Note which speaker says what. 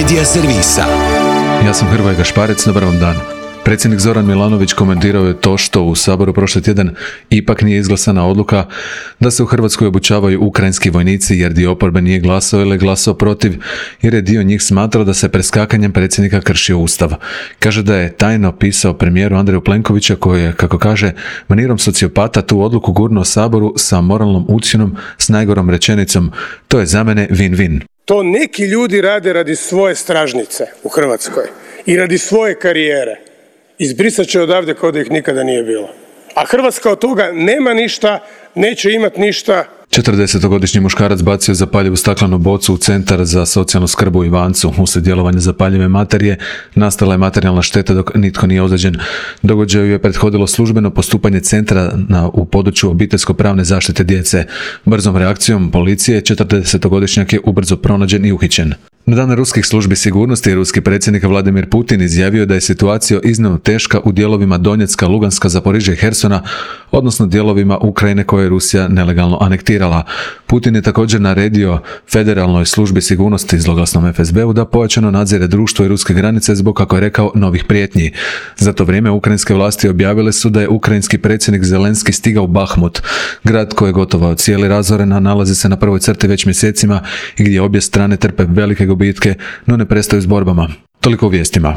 Speaker 1: Medija servisa.
Speaker 2: Ja sam Hrvoje Gašparec, dobar vam dan. Predsjednik Zoran Milanović komentirao je to što u Saboru prošli tjedan ipak nije izglasana odluka da se u Hrvatskoj obučavaju ukrajinski vojnici jer dio oporbe nije glasao ili je glasao protiv jer je dio njih smatrao da se preskakanjem predsjednika kršio Ustav. Kaže da je tajno pisao premijeru Andreju Plenkovića koji je, kako kaže, manirom sociopata tu odluku gurnuo Saboru sa moralnom ucjenom s najgorom rečenicom: to je za mene win-win.
Speaker 3: To neki ljudi rade radi svoje stražnice u Hrvatskoj i radi svoje karijere. Izbrisat će odavde kao da ih nikada nije bilo. A Hrvatska od toga nema ništa, neće imati ništa.
Speaker 2: 40-godišnji muškarac bacio zapaljivu staklenu bocu u centar za socijalnu skrb u Ivancu. Uslijed djelovanja zapaljive materije nastala je materijalna šteta dok nitko nije ozlijeđen. Događaju je prethodilo službeno postupanje centra u području obiteljsko-pravne zaštite djece. Brzom reakcijom policije 40-godišnjak je ubrzo pronađen i uhićen. Na dan ruskih službi sigurnosti ruski predsjednik Vladimir Putin izjavio da je situacija iznimno teška u dijelovima Donjecka, Luganska, Zaporižja i Hersona, odnosno dijelovima Ukrajine koje je Rusija nelegalno anektirala. Putin je također naredio Federalnoj službi sigurnosti zloglasnom FSB-u da pojačano nadzire društvo i ruske granice zbog, kako je rekao, novih prijetnji. Za to vrijeme ukrajinske vlasti objavile su da je ukrajinski predsjednik Zelenski stigao u Bahmut, grad koji je gotovo cijeli razoren, a nalazi se na prvoj crti već mjesecima i gdje obje strane trpe velike gubitke, no ne prestaju s borbama. Toliko u vijestima.